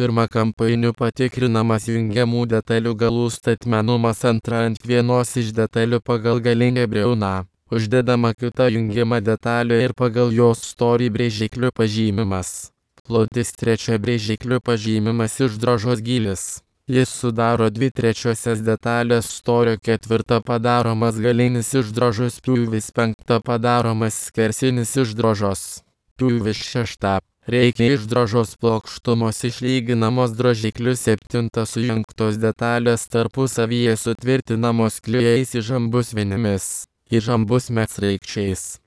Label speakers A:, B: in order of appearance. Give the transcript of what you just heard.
A: pirma kampainiu patikrinamas jungiamų detalių galų statmenumas, antra ant vienos iš detalių pagal galinę briauną uždedama kita jungiama detalė ir pagal jos storį brėžikliu pažymimas. Plotis, trečia brėžikliu pažymimas išdrožos gylis. Jis sudaro 2/3 detalės storio, ketvirta padaromas galinis išdrožos pjūvis, penkta padaromas skersinis išdrožos pjūvis, šešta reikia išdrožos plokštumos išlyginamos drožikliu, septinta sujungtos detalės tarpusavyje sutvirtinamos klijais įžambus vinimis, įžambus medsraigčiais.